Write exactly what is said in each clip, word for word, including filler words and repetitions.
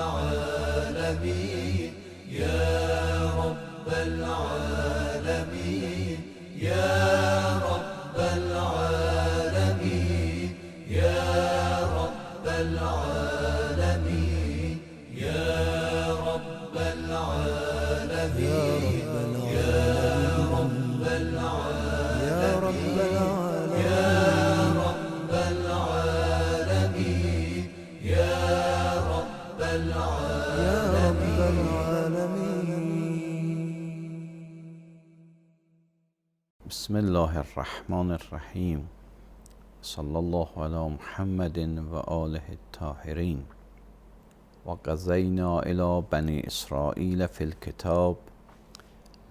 العالمين يا رب العالمين يا رب العالمين يا رب العالمين يا رب العالمين يا رب العالمين يا رب العالمين يا رب العالمين. بسم الله الرحمن الرحیم. صلی الله علی محمد و آله الطاهرین. و قضینا الی بنی اسرائیل فی الکتاب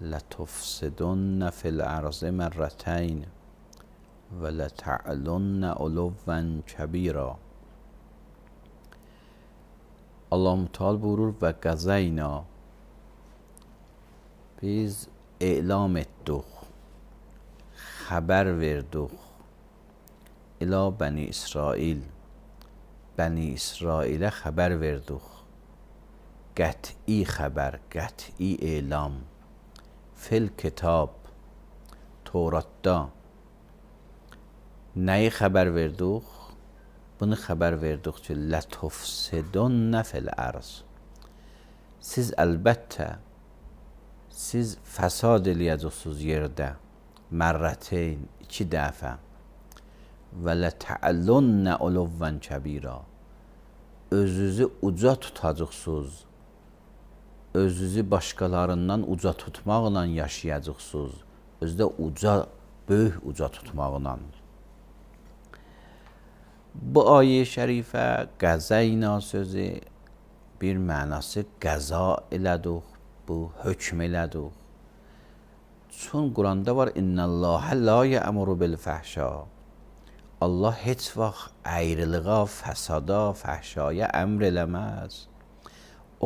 لتفسدن فی الارض مرتین و لتعلن علوا کبیرا. Allah Teala buyurur və qəzəyna, biz elam etdik, xəbər verdik ilə Bəni İsrail, Bəni İsrailə xəbər verdik, qət'i xəbər, qət'i elam, fil kitab, Toratda. Nəyi xəbər verdik? Bunu xəbər verdik ki, lətufsidunna fil arz. Siz əlbəttə, siz fəsad eləyəcəksiniz yerdə, mərrəteyn, iki dəfə. Və lətəəllunna uluvvan kəbira. Özünüzü uca tutacaqsınız, özünüzü başqalarından uca tutmaqla yaşayacaqsınız, özdə uca, böyük uca tutmaqla. Bu ayə şərifə qəzəyna sözü bir mənası qəza elədik, bu hökm elədik. Çün Quranda var, İnnəlləhə la yəmuru bil fəhşa. Allah heç vaxt əyriliğa, fəsada, fəhşaya əmr eləməz.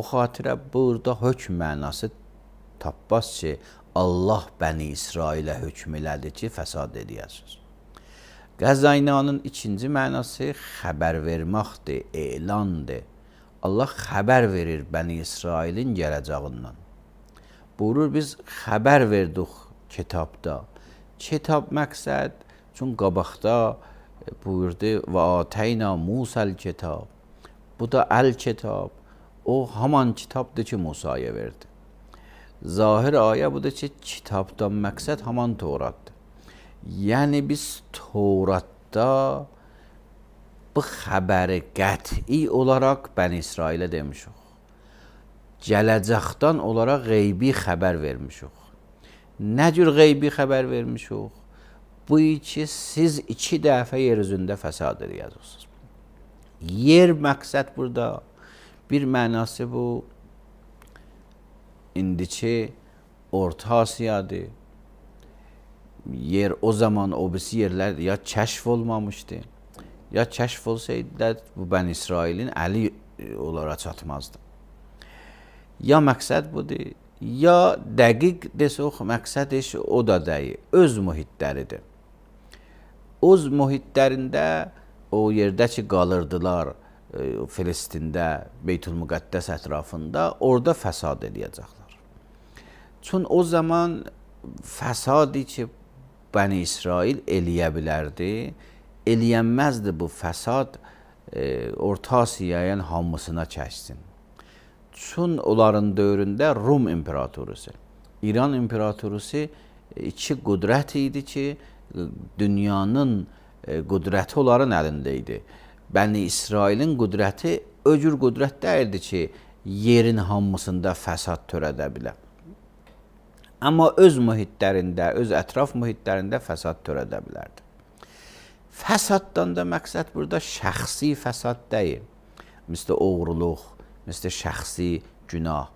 O xatirə burada hökm mənası tapmaz ki, Allah Bəni İsrailə hökm elədi ki, fəsad edəyəsiniz. Qəzaynanın ikinci mənası xəbər verməkdir, elandır. Allah xəbər verir Bəni İsrailin gələcəyindən. Buyurur, biz xəbər verdik kitabda. Kitab məqsəd, çünki qabaqda buyurdu, və atəyna Musəl kitab. Bu da əl-kitab. O, haman kitabdır ki, Musaya verdi. Zahir ayə budur ki, kitabdan məqsəd haman Toratdır. Yəni biz Toratda bu xəbəri qəti olaraq Bəni İsrailə demişik. Gələcəkdən olaraq qeybi xəbər vermişik. Nə cür qeybi xəbər vermişik? Bu ki, siz iki dəfə yer üzündə fəsad edəcəksiniz. Yer məqsəd burada, bir mənası bu, indiki Orta Asiyadır. Yer o zaman o birisi yerlər ya kəşf olmamışdı, ya kəşf olsaydı da bu Bəni İsrailin əli onlara çatmazdı. Ya məqsəd budur, ya dəqiq desək, məqsəd iş o da deyil, öz mühitləridir. Öz mühitlərində o yerdə ki qalırdılar, Filistində, Beytül-Müqəddəs ətrafında, orada fəsad edəcəklər. Çün o zaman fəsadi ki, Bəni İsrail eləyə bilərdi, eləyənməzdi bu fəsad e, Orta Asiyayın hamısına kəşsin. Çün onların dövründə Rum İmperatorusu, İran İmperatorusu iki qüdrət idi ki, dünyanın e, qüdrəti onların əlində idi. Bəni İsrailin qüdrəti o cür qüdrət deyildi ki, yerin hamısında fəsad törədə bilər. Amma öz mühitlərində, öz ətraf mühitlərində fəsad törədə bilərdi. Fəsaddan da məqsəd burada şəxsi fəsad deyil. Mislə oğruluq, mislə şəxsi günah,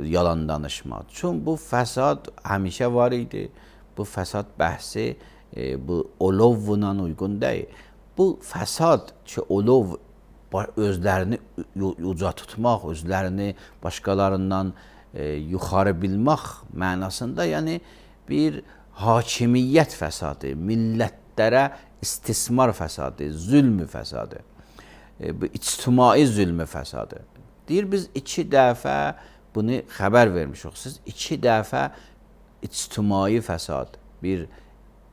yalan danışma. Çünki bu fəsad həmişə var idi. Bu fəsad bəhsi e, bu olovla uyğun deyil. Bu fəsad ki, olov özlərini uca tutmaq, özlərini başqalarından E, yuxarı bilmək mənasında, yəni bir hakimiyyət fəsadı, millətlərə istismar fəsadı, zülmü fəsadı, e, bu ictimai zülmü fəsadı. Deyir biz iki dəfə bunu xəbər vermişik. Siz iki dəfə ictimai fəsad, bir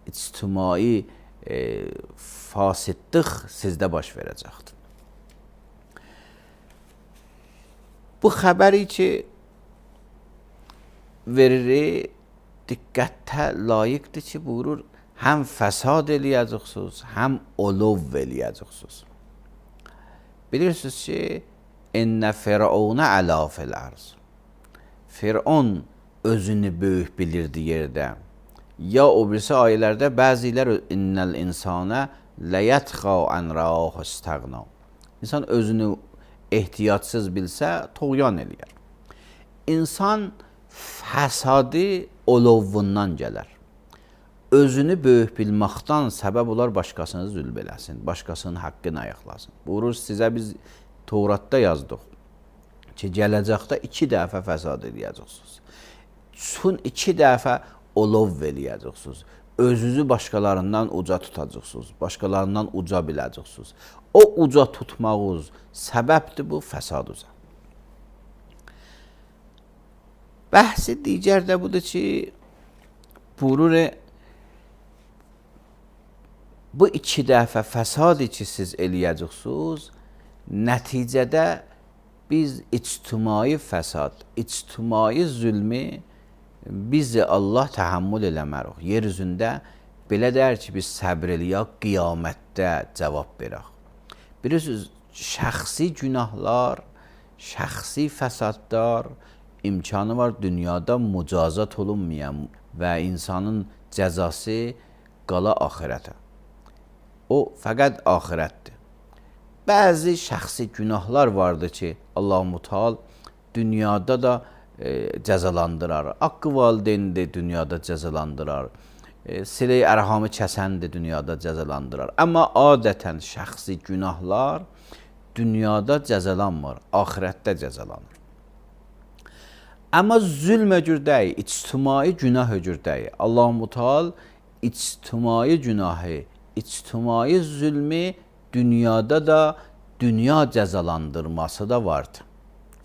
ictimai e, fasidlik sizdə baş verəcəkdir. Bu xəbəri ki veririk, diqqətə layiqdir ki, buyurur, həm fəsad eləyəcəksiniz, həm olov eləyəcəksiniz. Bilirsiniz ki, İnnə Firavuna əla fil arz. Firavun özünü böyük bilirdi yerdə. Ya o birisi ayələrdə bəzilər innəl insana ləyətxa ən rəahu istəğna. İnsan özünü ehtiyatsız bilsə, toğyan eləyər. İnsan fəsadı olovundan gələr. Özünü böyük bilməkdən səbəb olar başqasını zülm eləsin, başqasının haqqını ayaqlasın. Buyurur, sizə biz Tevratda yazdıq ki, gələcəkdə iki dəfə fəsad eləyəcəksiniz. Son iki dəfə olov eləyəcəksiniz. Özünüzü başqalarından uca tutacaqsınız, başqalarından uca biləcəksiniz. O uca tutmağınız səbəbdir bu fəsad uca. Bəhsi digər də budur ki, buyurur, bu iki dəfə fəsad ki siz eləyəcəksiniz, nəticədə biz ictimai fəsad, ictimai zülmü bizi Allah təhəmmül eləmərik. Yer üzündə belə deyər ki, biz səbr eləyək, qiyamətdə cavab verək. Bilirsiniz, şəxsi günahlar, şəxsi fəsadlar imkanı var dünyada mücazat olunmayan və insanın cəzası qala axirətə. O, fəqət axirətdir. Bəzi şəxsi günahlar vardır ki, Allah-u Teala dünyada da e, cəzalandırar. Haqqı valideyn də dünyada cəzalandırar. E, Silə-i ərhamı kəsən də dünyada cəzalandırar. Amma adətən şəxsi günahlar dünyada cəzalanmır, axirətdə cəzalanır. Amma zülm ögürdəyi, ictimai günah ögürdəyi. Allah-u Teala ictimai günahı, ictimai zülmü dünyada da dünya cəzalandırması da vardır.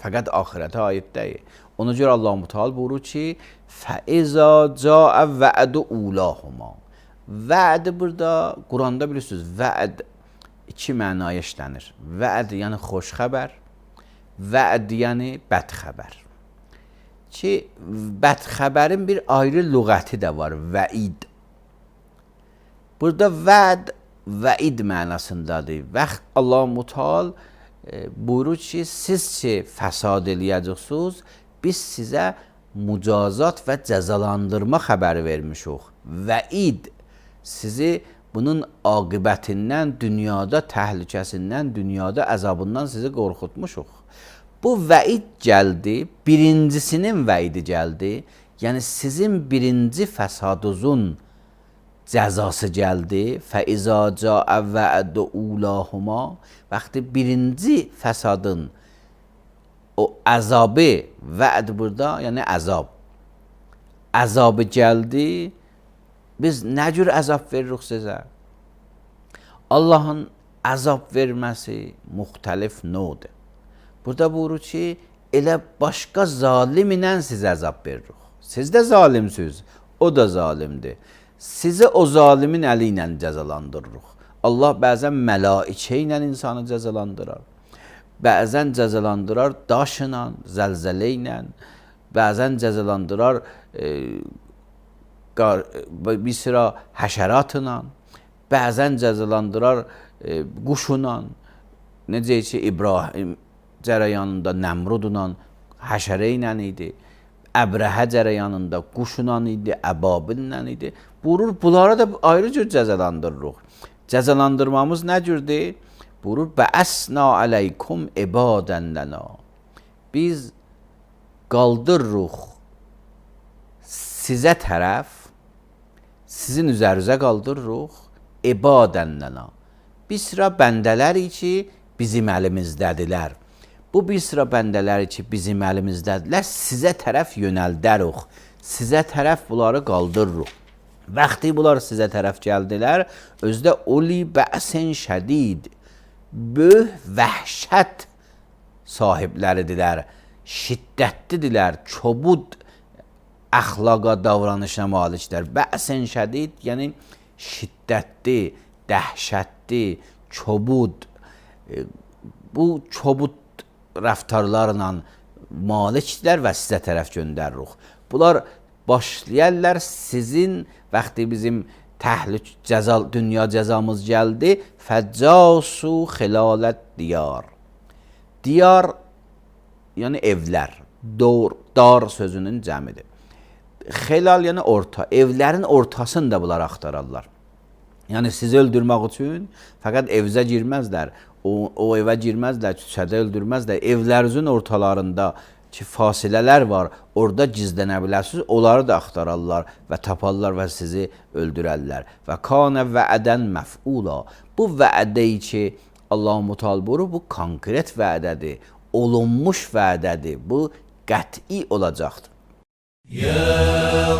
Fəqət axirətə aid deyil. Ona görə Allah-u Teala buyurur ki, فَإِذَا جَاءَ وَعْدُ أُولَاهُمَا. Vəd burada, Quranda bilirsiniz, vəd iki mənaya işlənir. Vəd yəni xoş xəbər, vəd yəni bəd xəbər. Ki, bəd xəbərin bir ayrı lüğəti də var, vəid. Burada vəd vəid mənasındadır. Vaxt Allah-u Teala e, buyurur ki, siz ki fəsad eləyəcəksiniz, biz sizə mücazat və cəzalandırma xəbəri vermişik. Vəid sizi bunun aqibətindən, dünyada təhlükəsindən, dünyada əzabından sizi qorxutmuşuq. Bu vəid gəldi, birincisinin vəidi gəldi. Yəni sizin birinci fəsadınızın cəzası gəldi. Fəizə cəə vəəd ulahuma. Vaxtı birinci fəsadın o əzabı, vəd burada, yəni əzab. Əzabı gəldi. Biz nə cür əzab veririk sizə? Allahın əzab verməsi müxtəlif növdür. Burada buyurur ki, elə başqa zalimlə sizə əzab veririk. Siz də zalimsiniz, o da zalimdir. Sizi o zalimin əli ilə cəzalandırırıq. Allah bəzən mələikə ilə insanı cəzalandırar. Bəzən cəzalandırar daşla, zəlzələ ilə. Bəzən cəzalandırar e, bir sıra həşəratla. Bəzən cəzalandırar e, quşla. Necə ki, İbrahim cərəyanında Nəmrudla, həşərə ilə idi. Əbrəhə cərəyanında quşla idi, əbabillə idi. Buyurur, bunlara da ayrı cür cəzalandırırıq. Cəzalandırmamız nə cürdür? Buyurur, bəəsna aleykum ibadən lənə. Biz qaldırırıq sizə tərəf, sizin üzərinizə qaldırırıq ibadən lənə. Bir sıra bəndələri ki, bizim əlimizdədirlər. Bu bir sıra bəndələri ki, bizim əlimizdədirlər, sizə tərəf yönəldərik. Sizə tərəf bunları qaldırırıq. Vaxtı bunlar sizə tərəf gəldilər, özdə uli bəsin şədid, böyük vəhşət sahibləridirlər, şiddətlidirlər, çobud əxlaqa, davranışa malikdirlər. Bəsən şədid, yəni şiddətli, dəhşətli, çobud, bu çobud rəftarlarla malikdirlər və sizə tərəf göndəririk. Bunlar başlayarlar sizin vaxtı bizim təhlük cəza, dünya cəzamız gəldi. Fəccasu xilalət diyar. Diyar, yəni evlər. Dor, dar sözünün cəmidir. Xilal, yəni orta. Evlərin ortasını da bunlar axtararlar. Yəni sizi öldürmək üçün fəqət evzə girməzlər. O, o evə girməzlər, küçədə öldürməzlər. Evlərinizin ortalarında ki, fasilələr var, orada gizlənə bilərsiniz, onları da axtararlar və taparlar və sizi öldürərlər. Və kanə vəədən məf'ula. Bu vəədə-i ki, Allah-u Teala buyurur, bu konkret vəədədir, olunmuş vəədədir, bu qəti olacaqdır. Ya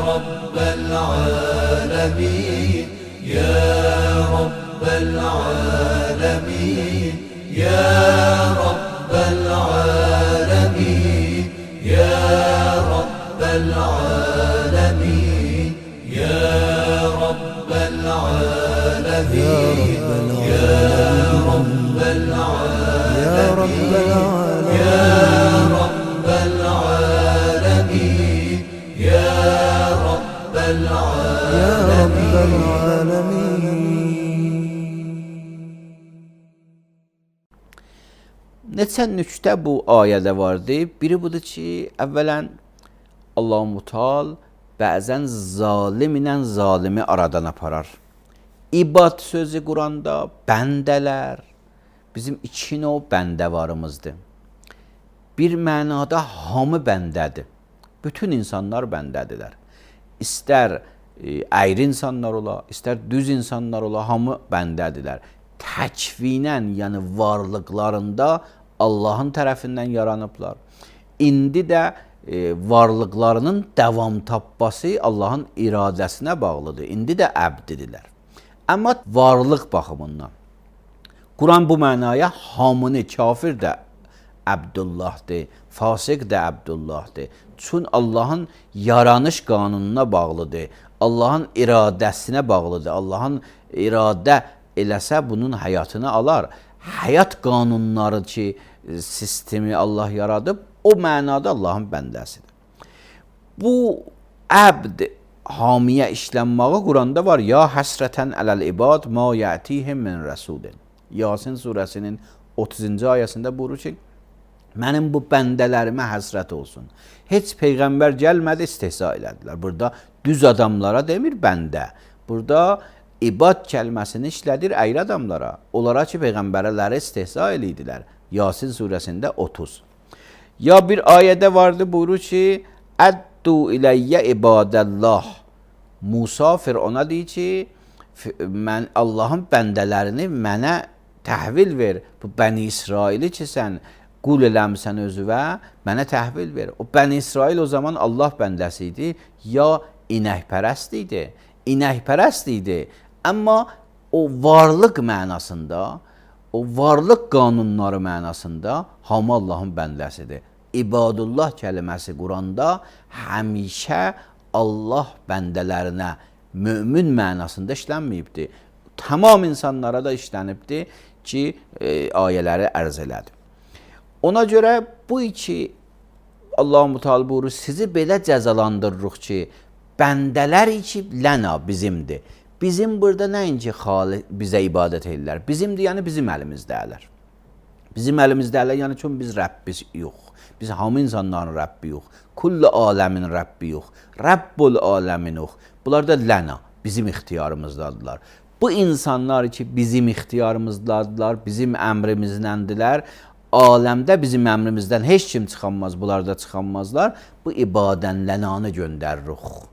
Rabbel alemin, Ya Rabbel alemin, Ya Rabbel alemin, Ya Rabbel alemin, Ya Rabbel alemin, Ya Rabbel alemin, Ya Rabbel alemin, Ya Rabbel alemin, Ya Rabbel alemin. Neçə nüktə bu ayədə vardı. Biri budur ki, əvvələn Allah-u Teala bəzən zalim ilə zalimi aradan aparar. İbad sözü Quranda bəndələr, bizim iki növ bəndə varımızdır. Bir mənada hamı bəndədir. Bütün insanlar bəndədirlər. İstər e, əyri insanlar ola, istər düz insanlar ola, hamı bəndədirlər. Təkvinən, yəni varlıqlarında Allahın tərəfindən yaranıblar. İndi də e, varlıqlarının davam tapması Allahın iradəsinə bağlıdır. İndi də əbdidirlər. Amma varlıq baxımından Quran bu mənaya hamını, kafir də Əbdullahdır, fasik də Əbdullahdır. Çün Allahın yaranış qanununa bağlıdır, Allahın iradəsinə bağlıdır. Allahın iradə eləsə bunun həyatını alar. Həyat qanunları ki, sistemi Allah yaradıb, o mənada Allahın bəndəsidir. Bu əbd hamiyə işlənməyi Quranda var. Ya həsrətən ələl ibad ma yətihim min rəsulin. Yasin surəsinin otuzuncu ayəsində buyurur ki, mənim bu bəndələrimə həsrət olsun. Heç peyğəmbər gəlmədi, istehza elədilər. Burada düz adamlara demir bəndə. Burada ibad kəlməsini işlədir əyri adamlara. Onlara ki, peyğəmbərləri istehza elədilər. Yasin surəsində otuz. Ya bir ayədə vardı, buyurur ki, əddu iləyyə ibadəllah. Musa Firona deyir ki, mən Allahın bəndələrini mənə təhvil ver. Bu Bəni İsraili ki, sən qul eləmsən özüvə, mənə təhvil ver. O Bəni İsrail o zaman Allah bəndəsi idi, ya inəkpərəst idi. İnəkpərəst idi. Amma o varlıq mənasında, o varlıq qanunları mənasında hamı Allahın bəndəsidir. İbadullah kəlməsi Quranda həmişə Allah bəndələrinə mömin mənasında işlənməyibdir. Tamam insanlara da işlənibdir ki, e, ayələri ərz elədi. Ona görə bu iki Allah-u Teala buyurur, sizi belə cəzalandırırıq ki, bəndələr ki, ləna bizimdir. Bizim burada nəinki xali bizə ibadət edirlər. Bizimdir, yəni bizim əlimizdələr. Bizim əlimizdələr, yəni çünki biz Rəbbiz yox. Biz hamı insanların Rəbbi yox. Kullu aləmin Rəbbi yox. Rəbbul aləmin yox. Bunlar da ləna, bizim ixtiyarımızdadılar. Bu insanlar ki, bizim ixtiyarımızdadılar, bizim əmrimizdəndirlər. Aləmdə bizim əmrimizdən heç kim çıxanmaz, bunlar da çıxanmazlar. Bu ibadən lənanı göndəririk.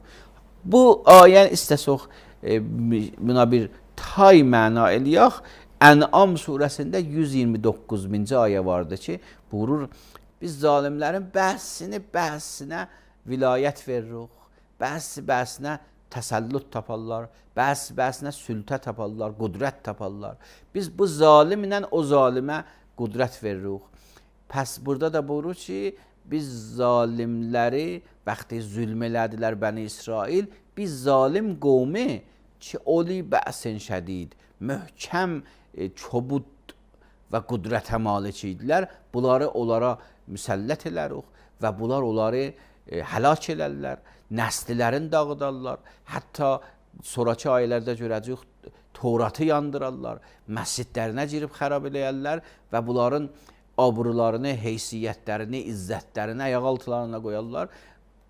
Bu ayə istəsək e, buna bir tay məna eləyək. Ən'am surəsində yüz iyirmi doqquzuncu ayə vardı ki, buyurur, biz zalimlərin bəhsini bəhsinə vilayət veririk, bəhsi bəhsinə təsəllüt taparlar, bəhsi bəhsinə sültə taparlar, qudrət taparlar. Biz bu zalimlə o zalimə qudrət veririk. Pəs burada da buyurur ki, biz zalimləri vaxtı zülm elədilər Bəni İsrail, biz zalim qovmi ki, oli bəsin şədid, möhkəm, e, çobud və qudrətə malik idilər. Bunları onlara müsəllət elərik və bunlar onları e, həlak elərlər, nəslilərin dağıdarlar. Hətta sonraki ayələrdə görəcəyik, Tevratı yandırarlar, məscidlərinə girib xərab eləyərlər və bunların abrularını, heysiyyətlərini, izzətlərini ayaq altlarına qoyarlar.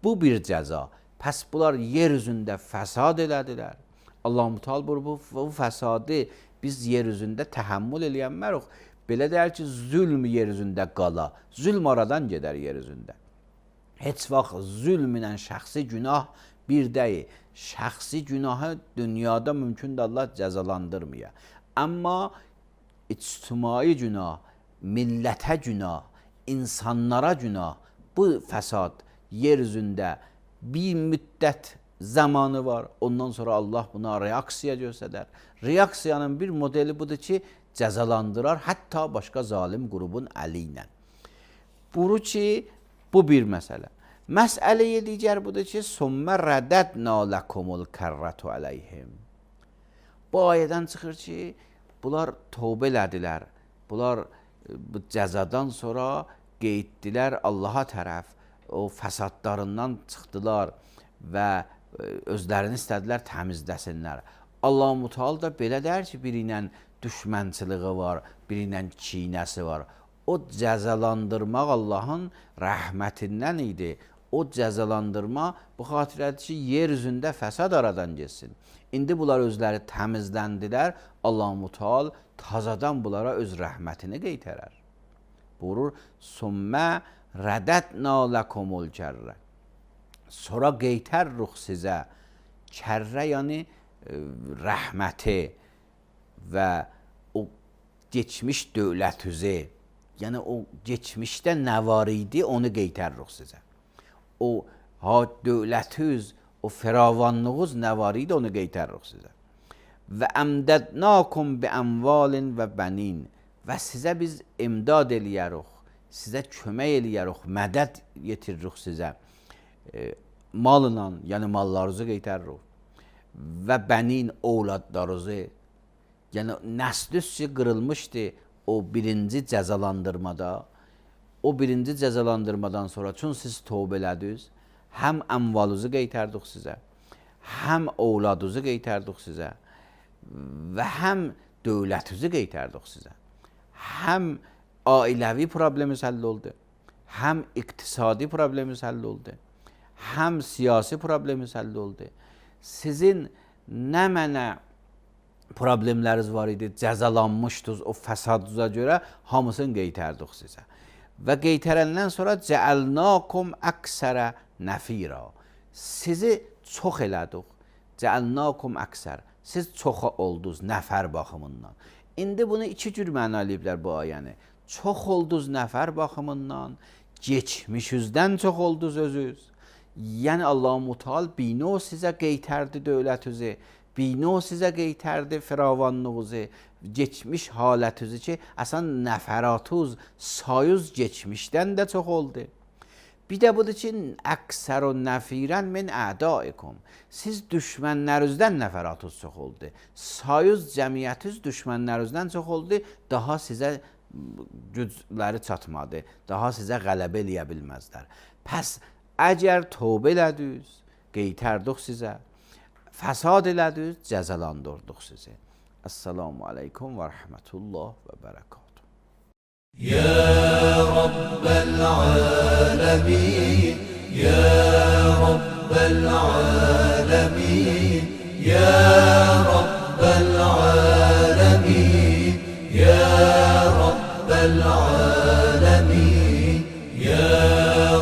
Bu bir cəza. Pəs bunlar yer üzündə fəsad elədilər. Allah-u Teala bu, bu fəsadı biz yer üzündə təhəmmül eləyənmərik. Belə deyər ki, zülm yer üzündə qala. Zülm aradan gedər yer üzündə. Heç vaxt zülm ilə şəxsi günah bir deyil. Şəxsi günahı dünyada mümkündür Allah cəzalandırmaya. Amma ictimai günah, millətə günah, insanlara günah, bu fəsad yer üzündə bir müddət zamanı var. Ondan sonra Allah buna reaksiya göstərər. Reaksiyanın bir modeli budur ki, cəzalandırar, hətta başqa zalim qrubun əli ilə. Buyurur ki, bu bir məsələ. Məsələyə digər budur ki, sümmə rədədnə ləkumul kərrətu əleyhim. Bu ayədən çıxır ki, bunlar tövbə elədilər. Bunlar bu cəzadan sonra qeyddilər Allaha tərəf. O fəsadlarından çıxdılar və özlərini istədilər təmizləsinlər. Allah-u Teala da belə deyər ki, biri ilə düşmənçiliyi var, biri ilə kinəsi var. O cəzalandırmaq Allahın rəhmətindən idi. O cəzalandırma bu xatirədir ki, yer üzündə fəsad aradan geçsin. İndi bunlar özləri təmizləndilər. Allah-u Teala tazadan bunlara öz rəhmətini qeytərər. Buyurur, sümmə rədədnə ləkumul kərrə. Sonra qeytərruq sizə. Kərrə yəni e, rəhməti və o geçmiş dövlətüzü, yəni o geçmişdə nə var idi, onu qeytərruq sizə. O ha dövlətüz, o firavanlığız nə var idi, onu qeytərruq sizə. Və əmdədnakum bi əmvalin və bənin. Və sizə biz imdad eləyərik, sizə kömək eləyərik, mədəd yetiririk sizə. E, malla, yəni mallarınızı qeytəririk. Və bənin ovladlarınızı, yəni nəsliz ki, qırılmışdı o birinci cəzalandırmada. O birinci cəzalandırmadan sonra çün siz tövbə elədiniz, həm əmvalınızı qeytərdik sizə, həm ovladınızı qeytərdik sizə və həm dövlətinizi qeytərdik sizə. Həm ailəvi problemimiz həll oldu, həm iqtisadi problemimiz həll oldu, həm siyasi problemimiz həll oldu. Sizin nə mənə problemləriniz var idi, cəzalanmışdınız o fəsadınıza görə, hamısını qeytərdik sizə. Və qeytərəndən sonra cəəlnakum əksərə nəfira. Sizi çox elədik. Cəəlnakum əksər. Siz çox oldunuz nəfər baxımından. İndi bunu iki cür məna eləyiblər bu ayəni. Çox oldunuz nəfər baxımından, geçmişinizdən çox oldunuz özünüz. Yəni Allah-u Teala bino sizə qeytərdi dövlətinizi, bino sizə qeytərdi firavanlığınızı, geçmiş halətinizi ki, əsən nəfəratınız, sayınız geçmişdən də çox oldu. Bir də budur ki, əksər o nəfirən min ədaikum. Siz düşmənlərinizdən nəfəratınız çox oldu. Sayınız, cəmiyyətiniz düşmənlərinizdən çox oldu. Daha sizə gücləri çatmadı. Daha sizə qələbə eləyə bilməzlər. Pəs, əgər tövbə elədiniz, qeytərdik sizə, fəsad elədiniz, cəzalandırdıq sizi. Esselamu aleyküm ve rahmetullah ve berekatuhu. Ya Rabbel alemin, Ya Rabbel alemin, Ya Rabbel alemin, Ya Rabbel alemin, Ya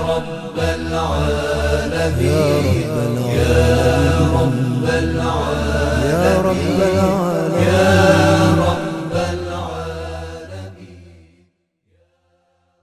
Rabbel alemin, Ya Rabbel alemin, Ya Rabbel alemin.